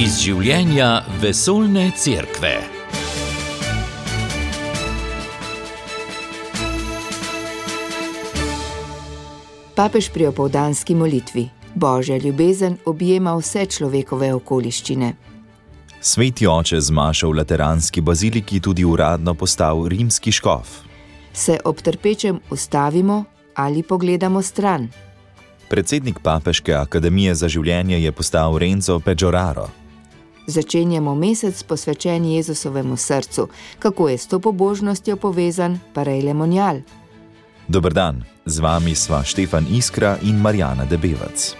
Iz življenja vesoljne cerkve. Papež pri opoldanski molitvi. Božja ljubezen objema vse človekove okoliščine. Sveti oče z mašo v lateranski baziliki tudi uradno postal rimski škof. Se ob trpečem ustavimo ali pogledamo stran? Predsednik Papeške akademije za življenje je postal Renzo Peđoraro. Začenjamo mesec posvečen Jezusovemu srcu. Kako je s to pobožnostjo povezan Parej Lemonjal? Dober dan, z vami sva Štefan Iskra in Marjana Debevac.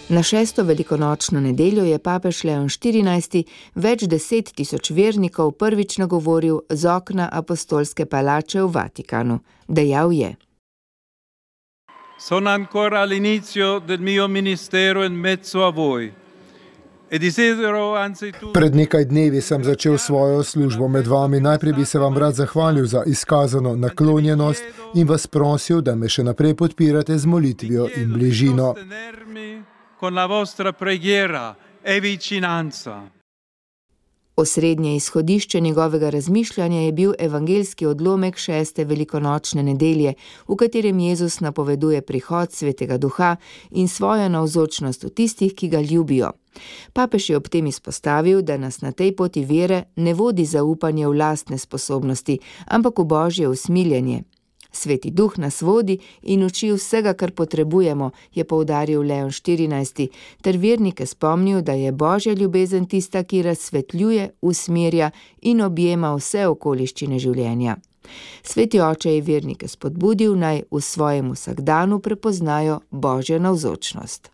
Na 6. velikonočno nedeljo je papež Leon XIV več 10 000 vernikov prvič nagovoril z okna apostolske palače v Vatikanu. Dejal je: Sono ancora all'inizio del mio ministero in mezzo a voi. Pred nekaj dnevi sem začel svojo službo med vami. Najprej bi se vam rad zahvalil za izkazano naklonjenost in vas prosil, da me še naprej podpirate z molitvijo in bližino. Osrednje izhodišče njegovega razmišljanja je bil evangeljski odlomek 6. velikonočne nedelje, v katerem Jezus napoveduje prihod Svetega Duha in svojo navzočnost v tistih, ki ga ljubijo. Papež je ob tem izpostavil, da nas na tej poti vere ne vodi zaupanje v lastne sposobnosti, ampak v Božje usmiljenje. Sveti Duh nas vodi in uči vsega, kar potrebujemo, je poudaril Leon XIV, ter vernike spomnil, da je Božja ljubezen tista, ki razsvetljuje, usmerja in objema vse okoliščine življenja. Sveti oče je vernike spodbudil, naj v svojem vsakdanu prepoznajo Božjo navzočnost.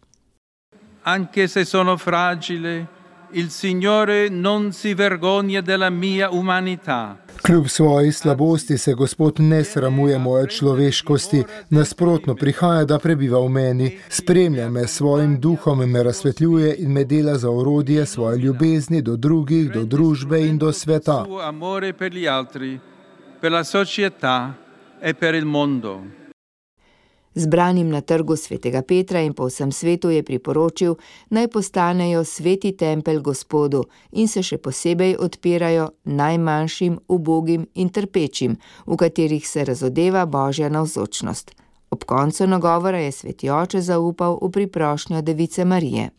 Anche se sono fragile, il Signore non si vergogna della mia umanità. Kljub svoji slabosti se Gospod ne sramuje moje človeškosti, nasprotno prihaja, da prebiva v meni, spremlja me s svojim duhom, me razsvetljuje in me dela za orodje svoje ljubezni do drugih, do družbe in do sveta. Amore per gli altri, per la società e per il mondo. Zbranim na trgu Svetega Petra in po vsem svetu je priporočil, naj postanejo sveti tempelj Gospodu in se še posebej odpirajo najmanjšim, ubogim in trpečim, v katerih se razodeva Božja navzočnost. Ob koncu nagovora je sveti oče zaupal v priprošnjo Device Marije.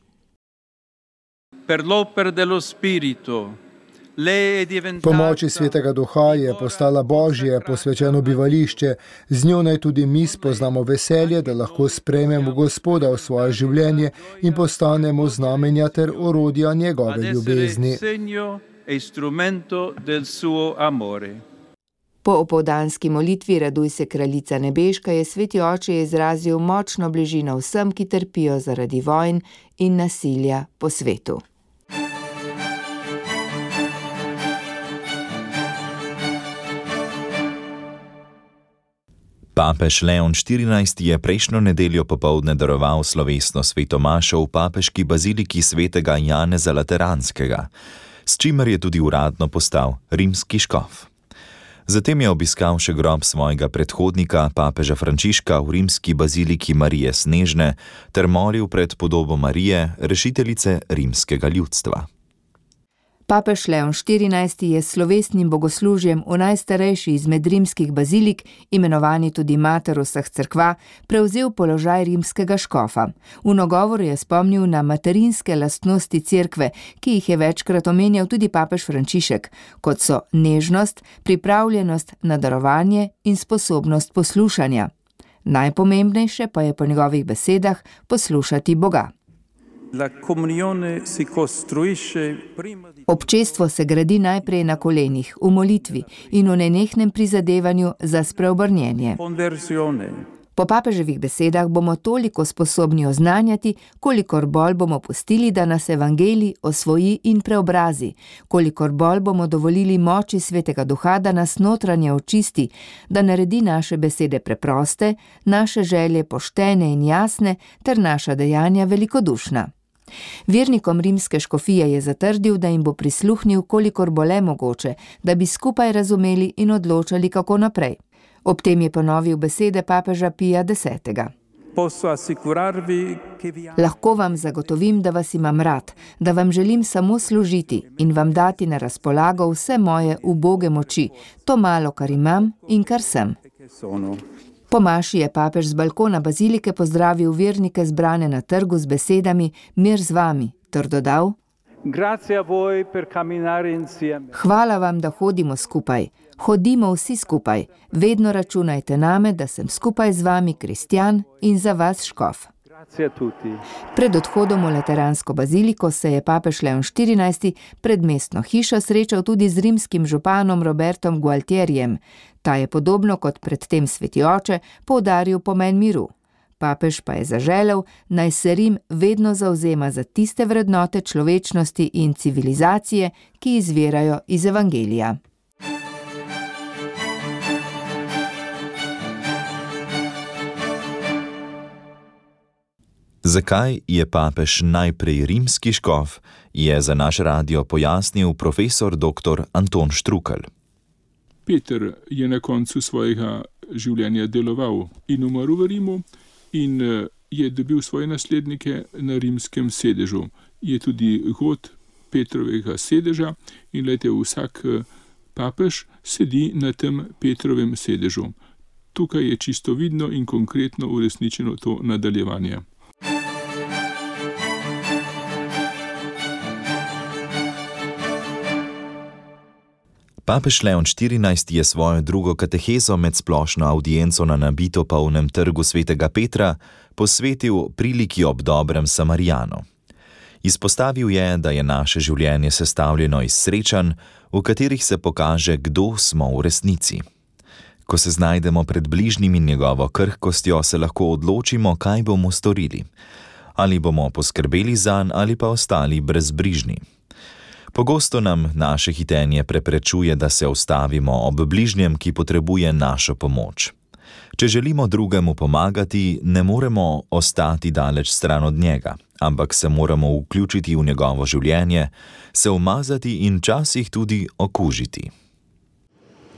Per l'opera dello Spirito. Po moči Svetega Duha je postala Božje posvečeno bivališče, z njo naj tudi mi spoznamo veselje, da lahko sprejmemo Gospoda v svoje življenje in postanemo znamenja ter orodja njegove ljubezni. Po opoldanski molitvi Raduj se, kraljica nebeška, je sveti oče izrazil močno bližino vsem, ki trpijo zaradi vojn in nasilja po svetu. Papež Leon XIV je prejšnjo nedeljo popoldne daroval slovesno sveto mašo v papeški baziliki svetega Janeza Lateranskega, s čimer je tudi uradno postal rimski škof. Zatem je obiskal še grob svojega predhodnika, papeža Frančiška, v rimski baziliki Marije Snežne ter molil pred podobo Marije, rešiteljice rimskega ljudstva. Papež Leon XIV je s slovesnim bogoslužjem v najstarejši izmed rimskih bazilik, imenovani tudi mater vseh cerkva, prevzel položaj rimskega škofa. V nagovoru je spomnil na materinske lastnosti cerkve, ki jih je večkrat omenjal tudi papež Frančišek, kot so nežnost, pripravljenost na darovanje in sposobnost poslušanja. Najpomembnejše pa je po njegovih besedah poslušati Boga. Občestvo se gradi najprej na kolenih, v molitvi in v nenehnem prizadevanju za spreobrnjenje. Po papeževih besedah bomo toliko sposobni oznanjati, kolikor bolj bomo pustili, da nas evangelij osvoji in preobrazi, kolikor bolj bomo dovolili moči Svetega Duha, da nas notranje očisti, da naredi naše besede preproste, naše želje poštene in jasne ter naša dejanja velikodušna. Vernikom rimske škofije je zatrdil, da jim bo prisluhnil, kolikor bo le mogoče, da bi skupaj razumeli in odločali, kako naprej. Ob tem je ponovil besede papeža Pija X. Lahko vam zagotovim, da vas imam rad, da vam želim samo služiti in vam dati na razpolago vse moje uboge moči, to malo, kar imam in kar sem. Po maši je papež z balkona bazilike pozdravil vernike zbrane na trgu z besedami mir z vami, ter dodal: Hvala vam, da hodimo skupaj. Hodimo vsi skupaj. Vedno računajte name, da sem skupaj z vami kristjan in za vas škof. Pred odhodom v Lateransko baziliko se je papež Leon XIV pred mestno hišo srečal tudi z rimskim županom Robertom Gualtierjem. Ta je podobno kot predtem sveti oče poudaril pomen miru. Papež pa je zaželel, naj se Rim vedno zavzema za tiste vrednote človečnosti in civilizacije, ki izvirajo iz evangelija. Zakaj je papež najprej rimski škof, je za naš radio pojasnil profesor dr. Anton Štrukelj. Peter je na koncu svojega življenja deloval in umrl v Rimu in je dobil svoje naslednike na rimskem sedežu. Je tudi god Petrovega sedeža in vsak papež sedi na tem Petrovem sedežu. Tukaj je čisto vidno in konkretno uresničeno to nadaljevanje. Papež Leon XIV je svojo drugo katehezo med splošno avdienco na nabito polnem trgu svetega Petra posvetil priliki ob dobrem Samarijanu. Izpostavil je, da je naše življenje sestavljeno iz srečanj, v katerih se pokaže, kdo smo v resnici. Ko se znajdemo pred bližnjim in njegovo krhkostjo, se lahko odločimo, kaj bomo storili. Ali bomo poskrbeli zanj ali pa ostali brezbrižni. Pogosto nam naše hitenje preprečuje, da se ustavimo ob bližnjem, ki potrebuje našo pomoč. Če želimo drugemu pomagati, ne moremo ostati daleč stran od njega, ampak se moramo vključiti v njegovo življenje, se umazati in včasih tudi okužiti.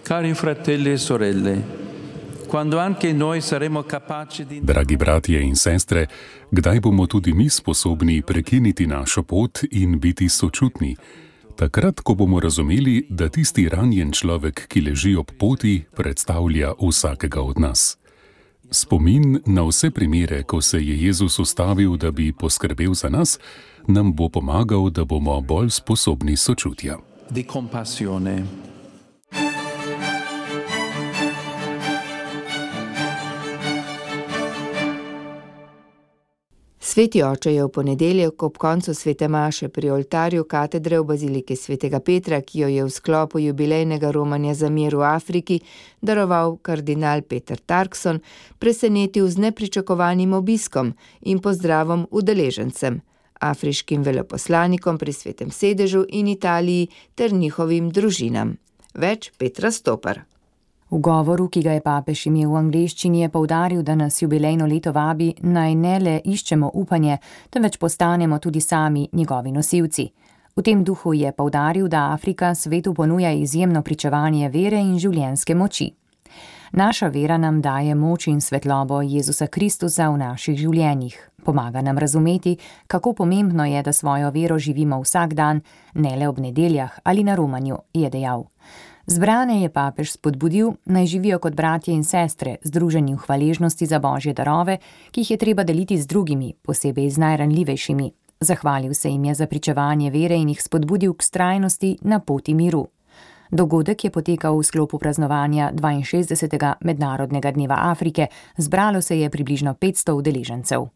Cari fratelli e sorelle, quando anche noi saremo capaci di... Dragi bratje in sestre, kdaj bomo tudi mi sposobni prekiniti našo pot in biti sočutni? Takrat, ko bomo razumeli, da tisti ranjen človek, ki leži ob poti, predstavlja vsakega od nas. Spomin na vse primere, ko se je Jezus ustavil, da bi poskrbel za nas, nam bo pomagal, da bomo bolj sposobni sočutja. Di compassione. Sveti oče je v ponedeljek ob koncu svete maše pri oltarju katedre v baziliki svetega Petra, ki jo je v sklopu jubilejnega romanja za mir v Afriki daroval kardinal Peter Turkson, presenetil z nepričakovanim obiskom in pozdravom udeležencem, afriškim veleposlanikom pri svetem sedežu in Italiji ter njihovim družinam. Več Petra Stopar. V govoru, ki ga je papež imel v angleščini, je poudaril, da nas jubilejno leto vabi, naj ne le iščemo upanje, temveč postanemo tudi sami njegovi nosilci. V tem duhu je poudaril, da Afrika svetu ponuja izjemno pričevanje vere in življenjske moči. Naša vera nam daje moč in svetlobo Jezusa Kristusa v naših življenjih. Pomaga nam razumeti, kako pomembno je, da svojo vero živimo vsak dan, ne le ob nedeljah ali na romanju, je dejal. Zbrane je papež spodbudil, naj živijo kot bratje in sestre, združeni v hvaležnosti za Božje darove, ki jih je treba deliti z drugimi, posebej z najranljivejšimi. Zahvalil se jim je za pričevanje vere in jih spodbudil k vztrajnosti na poti miru. Dogodek je potekal v sklopu praznovanja 62. Mednarodnega dneva Afrike, zbralo se je približno 500 udeležencev.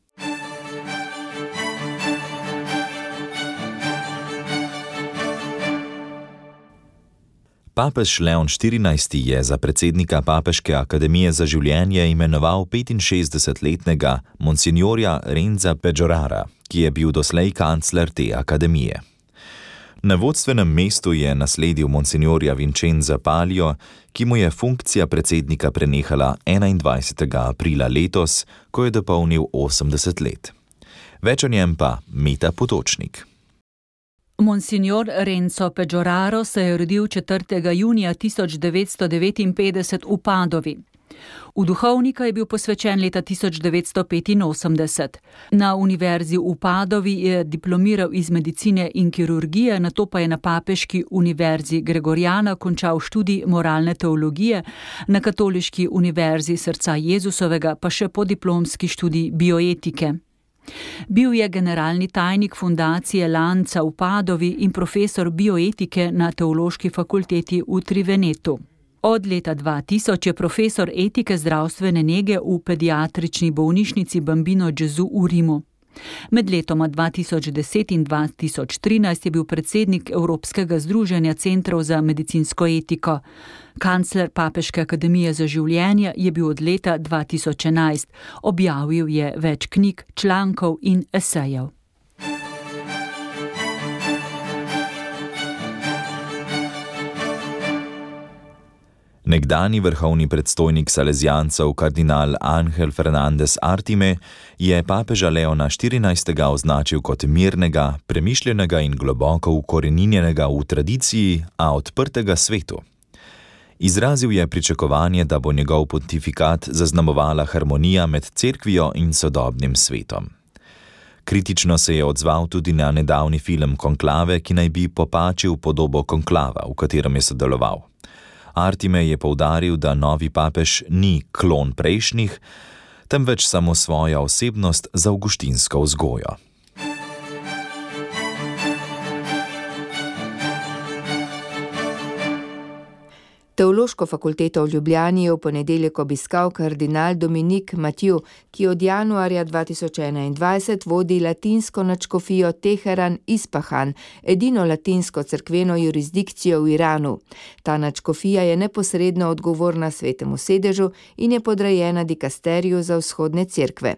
Papež Leon XIV je za predsednika Papeške akademije za življenje imenoval 65-letnega monsignorja Renza Peggiorara, ki je bil doslej kancler te akademije. Na vodstvenem mestu je nasledil monsignorja Vincenza Palio, ki mu je funkcija predsednika prenehala 21. aprila letos, ko je dopolnil 80 let. Več o njem pa Meta Potočnik. Monsignor Renzo Peggioraro se je rodil 4. junija 1959 v Padovi. V duhovnika je bil posvečen leta 1985. Na univerzi v Padovi je diplomiral iz medicine in kirurgije, nato pa je na papeški univerzi Gregoriana končal študij moralne teologije, na katoliški univerzi Srca Jezusovega pa še podiplomski študij bioetike. Bil je generalni tajnik fundacije Lanca v Padovi in profesor bioetike na Teološki fakulteti v Trivenetu. Od leta 2000 je profesor etike zdravstvene nege v pediatrični bolnišnici Bambino Gesù v Rimu. Med letoma 2010 in 2013 je bil predsednik Evropskega združenja centrov za medicinsko etiko. Kancler Papeške akademije za življenje je bil od leta 2011. Objavil je več knjig, člankov in esejev. Nekdani vrhovni predstojnik Salesijancev kardinal Ángel Fernández Artime je papeža Leona XIV. Označil kot mirnega, premišljenega in globoko ukoreninjenega v tradiciji, a odprtega svetu. Izrazil je pričakovanje, da bo njegov pontifikat zaznamovala harmonija med cerkvijo in sodobnim svetom. Kritično se je odzval tudi na nedavni film Konklave, ki naj bi popačil podobo konklava, v katerem je sodeloval. Artime je poudaril, da novi papež ni klon prejšnjih, temveč samo svoja osebnost z avguštinsko vzgojo. Teološko fakulteto v Ljubljani je v ponedeljek obiskal kardinal Dominik Mathieu, ki od januarja 2021 vodi latinsko nadškofijo Teheran Ispahan, edino latinsko cerkveno jurisdikcijo v Iranu. Ta nadškofija je neposredno odgovorna Svetemu sedežu in je podrejena dikasteriju za vzhodne cerkve.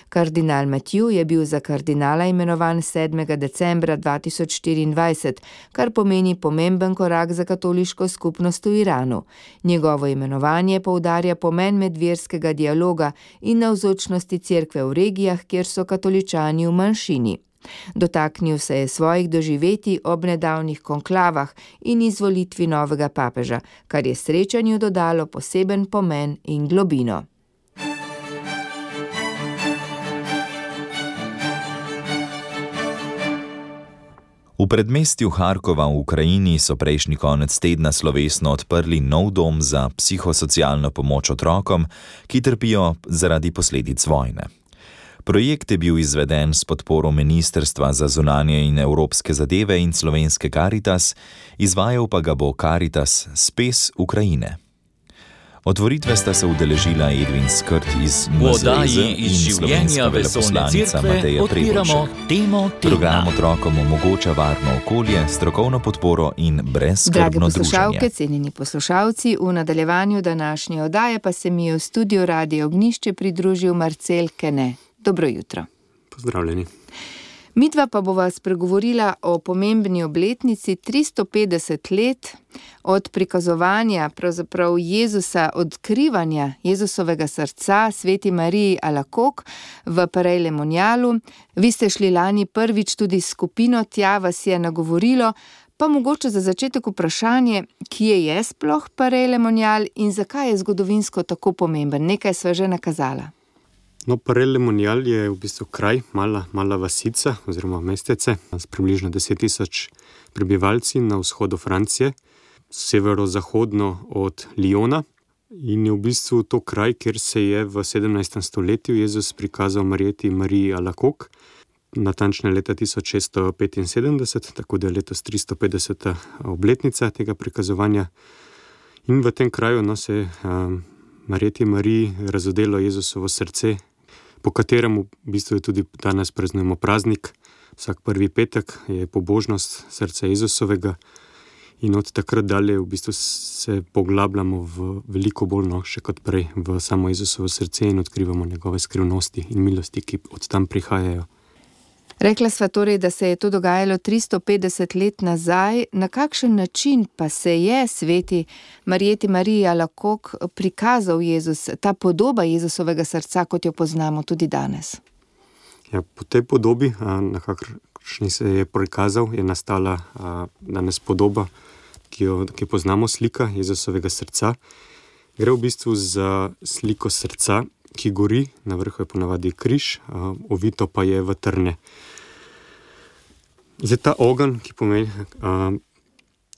Kardinal Mathieu je bil za kardinala imenovan 7. decembra 2024, kar pomeni pomemben korak za katoliško skupnost v Iranu. Njegovo imenovanje poudarja pomen medverskega dialoga in navzočnosti cerkve v regijah, kjer so katoličani v manjšini. Dotaknil se je svojih doživetij ob nedavnih konklavah in izvolitvi novega papeža, kar je srečanju dodalo poseben pomen in globino. V predmestju Harkova v Ukrajini so prejšnji konec tedna slovesno odprli nov dom za psihosocialno pomoč otrokom, ki trpijo zaradi posledic vojne. Projekt je bil izveden s podporo Ministrstva za zunanje in evropske zadeve in slovenske Caritas, izvajal pa ga bo Caritas Spes Ukrajine. Otvoritve sta se udeležila Edvin Skrt iz MZZ in slovenska veleposlanica Mateja Prebošek. Program otrokom omogoča varno okolje, strokovno podporo in brezskrbno druženje. Drage poslušalke, cenjeni poslušalci, v nadaljevanju današnje oddaje pa se mi je v studiu Radia Ognjišče pridružil Marcel Kene. Dobro jutro. Pozdravljeni. Midva pa bova spregovorila o pomembni obletnici 350 let od prikazovanja pravzaprav Jezusa, odkrivanja Jezusovega srca Sveti Mariji Alakok v Paray-le-Monialu. Vi ste šli lani prvič tudi s skupino, tja vas je nagovorilo, pa mogoče za začetek vprašanje, kje je sploh Paray-le-Monial in zakaj je zgodovinsko tako pomemben? Nekaj sva že nakazala. No, Paray-le-Monial je v bistvu kraj, mala vasica oziroma mestece s približno 10.000 prebivalci na vzhodu Francije, severozahodno od Lyona. In je v bistvu to kraj, kjer se je v 17. stoletju Jezus prikazal Mariji Alakok, natančne leta 1675, tako da je letos 350. obletnica tega prikazovanja. In v tem kraju se Mariji razodelo Jezusovo srce, po katerem v bistvu tudi danes praznujemo praznik. Vsak prvi petek je pobožnost srca Jezusovega in od takrat dalje v bistvu se poglabljamo v veliko bolj še kot prej v samo Jezusovo srce in odkrivamo njegove skrivnosti in milosti, ki od tam prihajajo. Rekla sva torej, da se je to dogajalo 350 let nazaj. Na kakšen način pa se je sveti Mariji Alakok prikazal Jezus, ta podoba Jezusovega srca, kot jo poznamo tudi danes? Ja, po tej podobi, na kakršni se je prikazal, je nastala danes podoba, ki jo poznamo, slika Jezusovega srca. Gre v bistvu za sliko srca, ki gori, na vrhu je ponavadi križ, ovito pa je v trne. Zdaj ta ogenj, ki pomeni,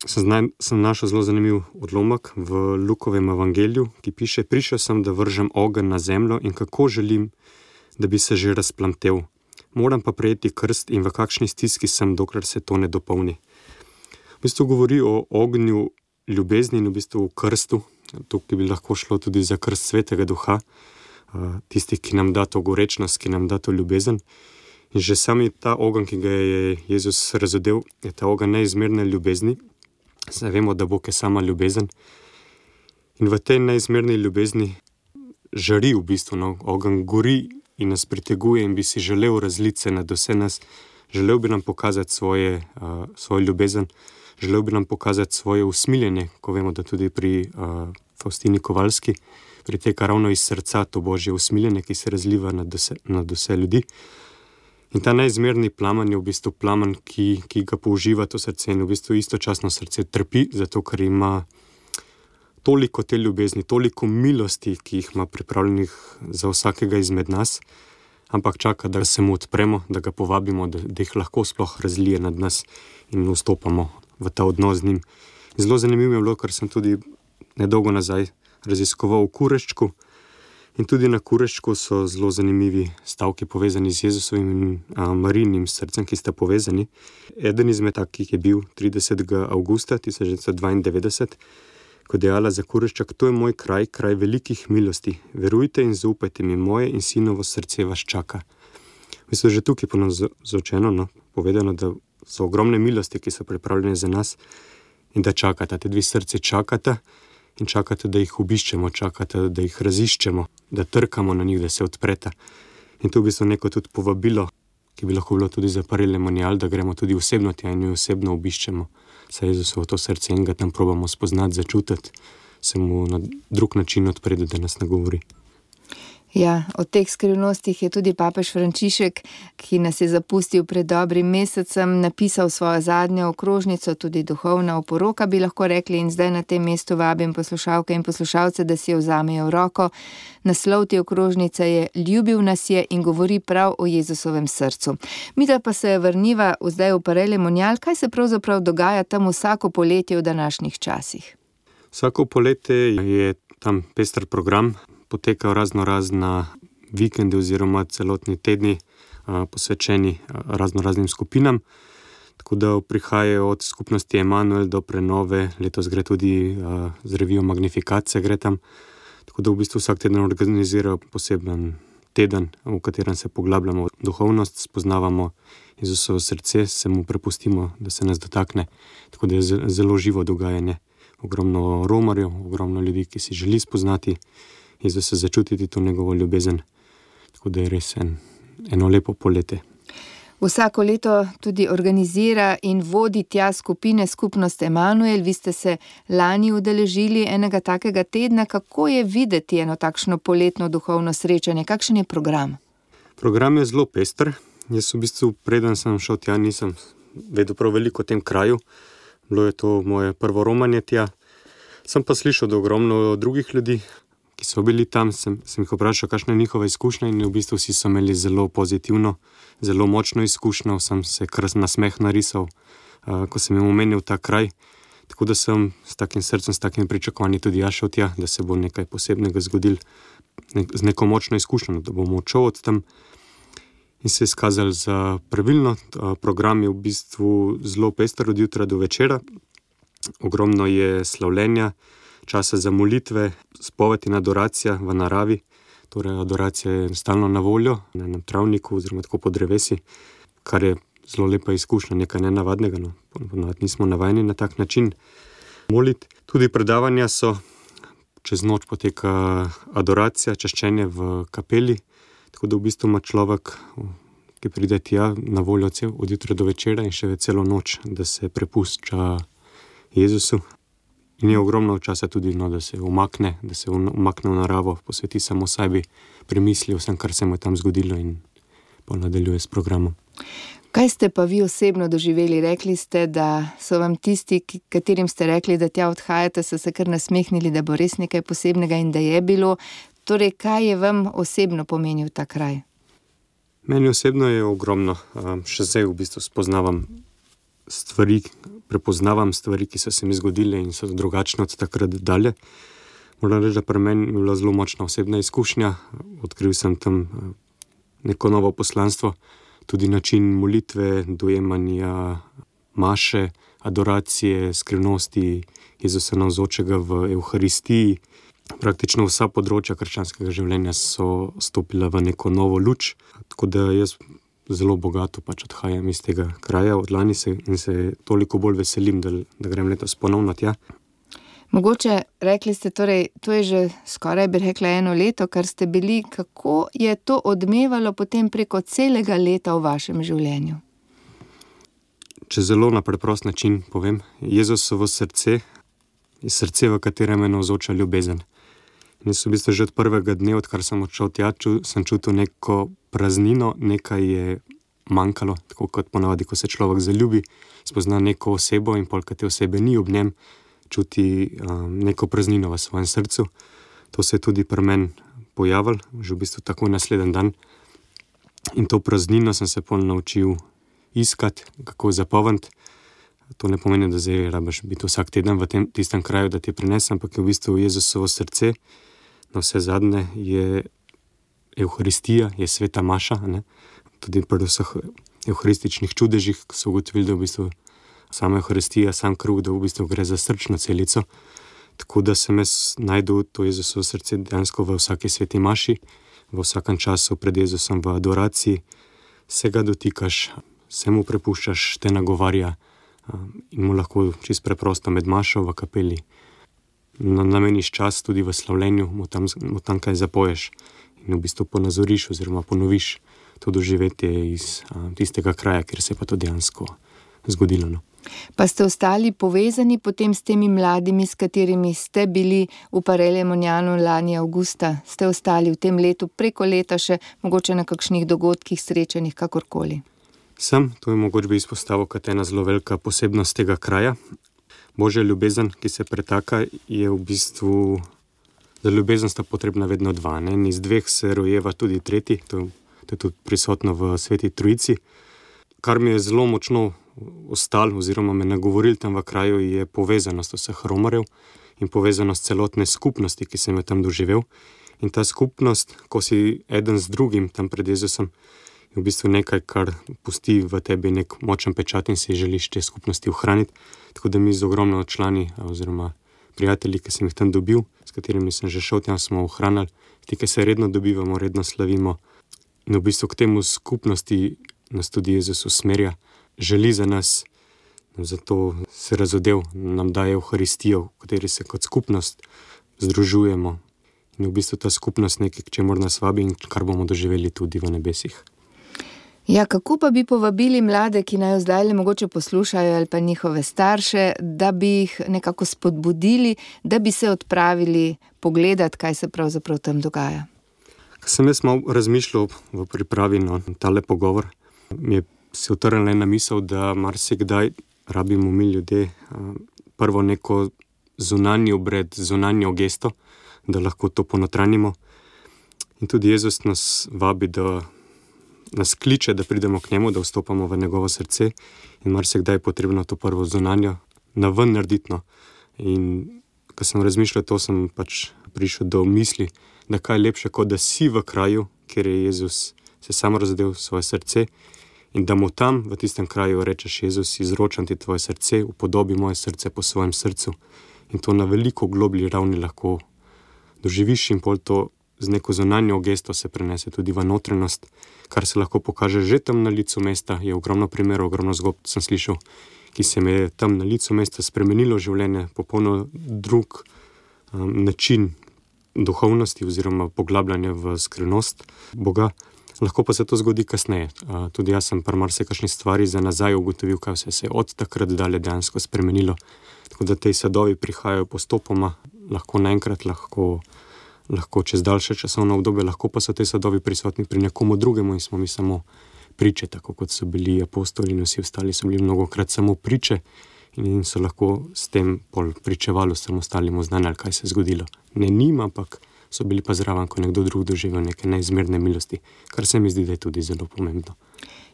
sem našel zelo zanimiv odlomek v Lukovem evangeliju, ki piše: prišel sem, da vržem ogenj na zemljo in kako želim, da bi se že razplamtel. Moram pa prejeti krst in v kakšni stiski sem, dokler se to ne dopolni. V bistvu govori o ognju ljubezni in v bistvu o krstu. Tukaj bi lahko šlo tudi za krst Svetega Duha, tistih, ki nam da to gorečnost, ki nam da to ljubezen. In že sami ta ogenj, ki ga je Jezus razodel, je ta ogenj neizmerne ljubezni. Zdaj vemo, da Bog je sama ljubezen. In v tej neizmerni ljubezni žari v bistvu, ogenj gori in nas priteguje in bi si želel razliti se nad vse nas. Želel bi nam pokazati svojo ljubezen, želel bi nam pokazati svoje usmiljenje, ko vemo, da tudi pri Faustini Kovalski priteka ravno iz srca to Božje usmiljenje, ki se razliva nad vse ljudi. In ta neizmerni plamen je v bistvu plamen, ki ga použiva to srce in v bistvu istočasno srce trpi, zato ker ima toliko te ljubezni, toliko milosti, ki jih ima pripravljenih za vsakega izmed nas, ampak čaka, da se mu odpremo, da ga povabimo, da jih lahko sploh razlije nad nas in vstopamo v ta odnos z njim. Zelo zanimivo je bilo, ker sem tudi nedolgo nazaj raziskoval v Kureščku in tudi na Kureščku so zelo zanimivi stavki povezani z Jezusovim in Marijinim srcem, ki sta povezani. Eden izmed takih je bil 30. avgusta 1992, ko je dejala za Kureščak: to je moj kraj, kraj velikih milosti. Verujte in zaupajte mi, moje in sinovo srce vas čaka. Mislim, že tukaj ponovno povedano, da so ogromne milosti, ki so pripravljene za nas in da čakata. Te dve srce čakata in čakata, da jih obiščemo, čakata, da jih raziščemo, da trkamo na njih, da se odpreta. In to v bistvu neko tudi povabilo, ki bi lahko bilo tudi za Parelemonial, da gremo tudi osebno tja in jo osebno obiščemo. Saj Jezusovo to srce in ga tam probamo spoznati, začutiti, se mu na drug način odpreti, da nas nagovori. Ja, o teh skrivnostih je tudi papež Frančišek, ki nas je zapustil pred dobrim mesecem, napisal svojo zadnjo okrožnico, tudi duhovna oporoka, bi lahko rekli, in zdaj na tem mestu vabim poslušalke in poslušalce, da si jo vzamejo v roko. Naslov te okrožnice je Ljubil nas je in govori prav o Jezusovem srcu. Midva pa se vrniva zdaj v Parelemonial. Kaj se pravzaprav dogaja tam vsako poletje v današnjih časih? Vsako poletje je tam pester program, potekajo razna vikendi oziroma celotni tedni posvečeni raznim skupinam. Tako da prihajajo od skupnosti Emanuel do Prenove, letos gre tudi z revijo Magnifikacija gre tam. Tako da v bistvu vsak teden organizirajo poseben teden, v katerem se poglabljamo v duhovnost, spoznavamo Jezusovo srce, se mu prepustimo, da se nas dotakne. Tako da je zelo živo dogajanje. Ogromno romarjev, ogromno ljudi, ki si želi spoznati Jezusa, začutiti to njegovo ljubezen. Tako da je res eno lepo poletje. Vsako leto tudi organizira in vodi tja skupine skupnost Emanuel. Vi ste se lani udeležili enega takega tedna. Kako je videti eno takšno poletno duhovno srečanje? Kakšen je program? Program je zelo pester. Jaz v bistvu, preden sem šel tja, nisem vedel prav veliko o tem kraju. Bilo je to moje prvo romanje tja. Sem pa slišal, da ogromno drugih ljudi, ki so bili tam, sem jih vprašal, kakšna je njihova izkušnja, in v bistvu vsi so imeli zelo pozitivno, zelo močno izkušnjo. Sem se kar na smeh narisal, ko sem jim omenil ta kraj. Tako da sem s takim srcem, s takim pričakovanjem tudi jaz šel tja, da se bo nekaj posebnega zgodil, z neko močno izkušnjo, da bom odšel od tam. In se je izkazal za pravilno. Program je v bistvu zelo pester od jutra do večera. Ogromno je slavljenja, časa za molitve, spoved in adoracija v naravi. Torej, adoracija je stalno na voljo, na enem travniku oziroma tako po drevesi, kar je zelo lepa izkušnja, nekaj nenavadnega. Ponovadi nismo navajeni na tak način moliti. Tudi predavanja so, čez noč poteka adoracija, čaščenje v kapeli. Tako da v bistvu ima človek, ki pride tja, na voljo od jutra do večera in še celo noč, da se prepušča Jezusu. In je ogromno časa tudi, da se umakne v naravo, posveti samo sebi, premisli vsem, kar se mu je tam zgodilo in nadaljuje s programom. Kaj ste pa vi osebno doživeli? Rekli ste, da so vam tisti, katerim ste rekli, da tja odhajate, so se kar nasmehnili, da bo res nekaj posebnega in da je bilo. Torej, kaj je vam osebno pomenil ta kraj? Meni osebno je ogromno. Še zdaj v bistvu prepoznavam stvari, ki so se mi zgodile in so drugačne od takrat dalje. Moram reči, da pri meni je bila zelo močna osebna izkušnja. Odkril sem tam neko novo poslanstvo, tudi način molitve, dojemanja maše, adoracije, skrivnosti Jezusa navzočega v Evharistiji. Praktično vsa področja krščanskega življenja so stopila v neko novo luč, tako da jaz zelo bogato odhajam iz tega kraja od lani in se toliko bolj veselim, da grem letos ponovno tja. Mogoče, rekli ste, torej, to je že skoraj, bi rekla, 1 leto, kar ste bili. Kako je to odmevalo potem preko celega leta v vašem življenju? Če zelo na preprost način povem, Jezusovo srce je srce, v katerem je navzoča ljubezen. In jaz v bistvu že od prvega dne, odkar sem odšel tja, sem čutil neko praznino, nekaj je manjkalo, tako kot ponavadi, ko se človek zaljubi, spozna neko osebo in pol, ko te osebe ni ob njem, čuti neko praznino v svojem srcu. To se je tudi pri meni pojavilo, že v bistvu takoj naslednji dan. In to praznino sem se pol naučil iskati, kako zapolniti. To ne pomeni, da zdaj rabiš biti vsak teden v tistem kraju, da ti prinese, ampak je v bistvu Jezusovo srce. Na vse zadnje je Evharistija, je sveta maša, ne? Tudi pri vseh evharističnih čudežih so ugotovili, da v bistvu sama Evharistija, sam kruh, da v bistvu gre za srčno celico. Tako da sem jaz najdel to Jezusovo srce dejansko v vsaki sveti maši, v vsakem času pred Jezusom v adoraciji. Se ga dotikaš, se mu prepuščaš, te nagovarja in mu lahko čisto preprosto med mašo v kapeli nameniš čas tudi v slavljenju, mu tam kaj zapoješ in v bistvu ponazoriš oziroma ponoviš to doživetje iz tistega kraja, kjer se je pa to dejansko zgodilo. No. Pa ste ostali povezani potem s temi mladimi, s katerimi ste bili v Paray-le-Monianu lani avgusta? Ste ostali v tem letu, preko leta še mogoče na kakšnih dogodkih, srečanjih, kakorkoli? To je mogoče bi izpostavil kot ena zelo velika posebnost tega kraja. Božja ljubezen, ki se pretaka, je v bistvu, za ljubezen sta potrebna vedno dva. Ne? Iz dveh se rojeva tudi tretji, to je tudi prisotno v Sveti Trojici. Kar mi je zelo močno ostalo oziroma me nagovoril tam v kraju, je povezanost vseh romarjev in povezanost celotne skupnosti, ki sem jo tam doživel. In ta skupnost, ko si eden z drugim tam pred Jezusom, je v bistvu nekaj, kar pusti v tebi nek močen pečat in si želiš te skupnosti ohraniti. Tako da mi z ogromno člani oziroma prijatelji, ki sem jih tam dobil, s katerimi sem že šel tam, smo ohranili. Ti, ki se redno dobivamo, redno slavimo. In v bistvu k temu skupnosti nas tudi Jezus usmerja, želi za nas, zato se razodev, nam daje Evharistijo, v kateri se kot skupnost združujemo. In v bistvu ta skupnost nekaj, k čemur nas vabi in kar bomo doživeli tudi v nebesih. Ja, kako pa bi povabili mlade, ki naj zdaj le mogoče poslušajo ali pa njihove starše, da bi jih nekako spodbudili, da bi se odpravili pogledati, kaj se pravzaprav tam dogaja? Ko sem jaz malo razmišljal v pripravi na tale pogovor, mi je se utrnila ena misel, da marsikdaj rabimo mi ljudje prvo neko zunanji obred, zunanjo gesto, da lahko to ponotranjimo. In tudi Jezus nas vabi, da nas kliče, da pridemo k njemu, da vstopamo v njegovo srce in marsikdaj je potrebno to prvo zunanjo naven narediti. In ko sem razmišljal, to sem prišel do misli, da kaj je lepše, kot da si v kraju, kjer je Jezus se sam razdel svoje srce in da mu tam v tistem kraju rečeš: Jezus, izročam ti tvoje srce, upodobi moje srce po svojem srcu. In to na veliko globlji ravni lahko doživiš in pol to z neko zunanjo gesto se prenese tudi v notranjost, kar se lahko pokaže že tam na licu mesta. Je ogromno primerov, ogromno zgodb sem slišal, ki se mi je tam na licu mesta spremenilo življenje, popolno drug način duhovnosti oziroma poglabljanja v skrivnost Boga. Lahko pa se to zgodi kasneje. Tudi jaz sem pri marsikakšni stvari za nazaj ugotovil, kaj vse se je od takrat dalje dejansko spremenilo. Tako da te sadovi prihajajo postopoma, lahko naenkrat, lahko čez daljše časovno obdobje, lahko pa so te sadovi prisotni pri nekomu drugemu in smo mi samo priče, tako kot so bili apostoli in vsi ostali, so bili mnogokrat samo priče in so lahko s tem pričevalo vsem ostalim oznanjali, kaj se je zgodilo. Ne njim, ampak so bili pa zraven, ko nekdo drug doživel neke neizmerne milosti, kar se mi zdi, da je tudi zelo pomembno.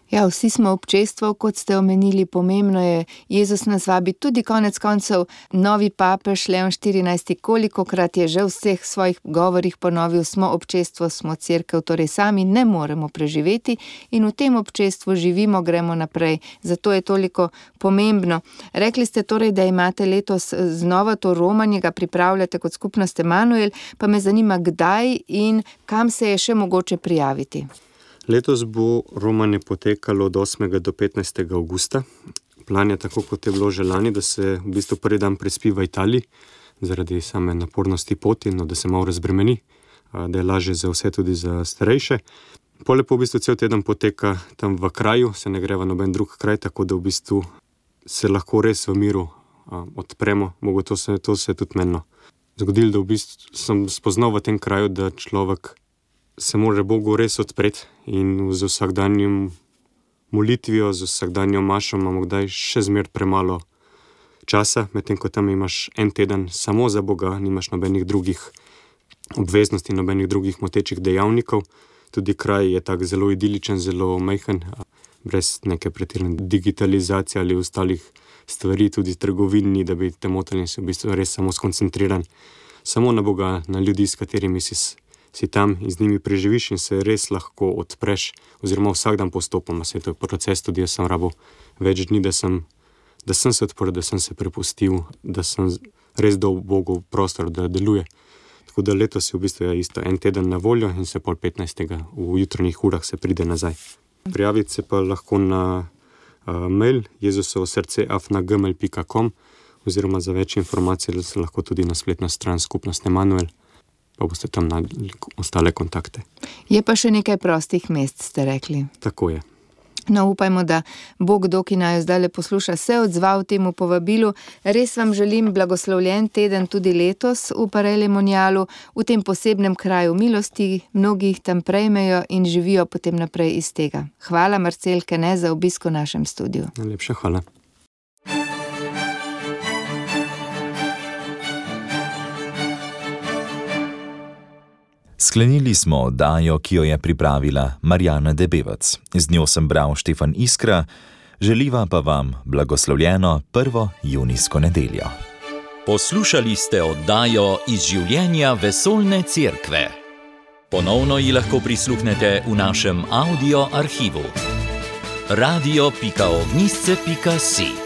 Ja, vsi smo občestvo, kot ste omenili, pomembno je, Jezus nas vabi, tudi konec koncev novi papež Leon XIV, kolikokrat je že v vseh svojih govorih ponovil, smo občestvo, smo cerkev, torej sami ne moremo preživeti in v tem občestvu živimo, gremo naprej, zato je toliko pomembno. Rekli ste torej, da imate letos znova to romanje, ga pripravljate kot skupnost Emanuel, pa me zanima, kdaj in kam se je še mogoče prijaviti. Letos bo romanje potekalo od 8. do 15. augusta. Plan je tako, kot je bilo že lani, da se v bistvu prvi dan prespi v Italiji, zaradi same napornosti poti, no, da se malo razbremeni, da je lažje za vse, tudi za starejše. Poleg v bistvu cel teden poteka tam v kraju, se ne gre v noben drug kraj, tako da v bistvu se lahko res v miru odpremo. To se je tudi meni zgodilo, da v bistvu sem spoznal v tem kraju, da človek se mora Bogu res odpreti in z vsakdanjim molitvijo, z vsakdanjo mašo imamo kdaj še zmer premalo časa, medtem ko tam imaš en teden samo za Boga, nimaš nobenih drugih obveznosti, nobenih drugih motečih dejavnikov. Tudi kraj je tak zelo idiličen, zelo majhen, brez neke pretirane digitalizacije ali ostalih stvari, tudi trgovini, da bi te motili in si v bistvu res samo skoncentriran samo na Boga, na ljudi, s katerimi si tam in z njimi preživiš in se res lahko odpreš, oziroma vsak dan postopoma, se to je proces, tudi jaz sem rabo več dni, da sem se odprl, da sem se prepustil, da sem res dal Bogu prostor, da deluje. Tako da letos je v bistvu isto en teden na voljo in se pol 15. v jutranjih urah se pride nazaj. Prijaviti se pa lahko na mail jezusovosrce@gmail.com oziroma za več informacij se lahko tudi na spletno stran skupnost Emanuel, pa boste tam našli ostale kontakte. Je pa še nekaj prostih mest, ste rekli. Tako je. No, upajmo, da bo kdo, ki naj zdaj posluša, se odzval temu povabilu. Res vam želim blagoslovljen teden tudi letos v Paray-le-Monialu, v tem posebnem kraju milosti, mnogi jih tam prejmejo in živijo potem naprej iz tega. Hvala, Marcel Kene, za obisk v našem studiu. Najlepša hvala. Sklenili smo oddajo, ki jo je pripravila Marjana Debevec. Z njo sem bral Štefan Iskra, želiva pa vam blagoslovljeno 1. junijsko nedeljo. Poslušali ste oddajo iz življenja Vesoljne cerkve. Ponovno ji lahko prisluhnete v našem audio arhivu. radio.ognisce.si